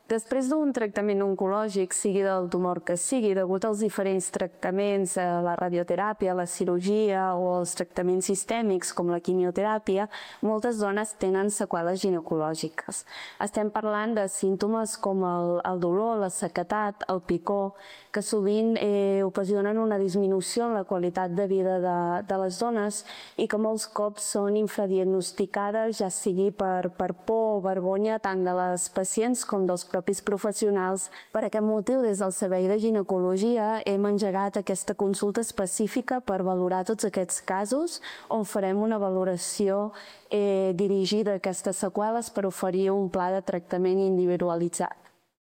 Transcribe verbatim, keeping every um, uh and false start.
Després d'un tractament oncològic, sigui del tumor que sigui, degut als diferents tractaments, a la radioteràpia, la cirurgia o els tractaments sistèmics com la quimioteràpia, moltes dones tenen seqüeles ginecològiques. Estem parlant de símptomes com el, el dolor, la sequedat, el picor, que sovint eh, ocasionen una disminució en la qualitat de vida de, de les dones i que molts cops són infradiagnosticades, ja sigui per, per por o vergonya tant de les pacients com dels propis professionals. Per aquest motiu, des del Servei de Ginecologia hem engegat aquesta consulta específica per valorar tots aquests casos, on farem una valoració eh, dirigida a aquestes seqüeles per oferir un pla de tractament individualitzat.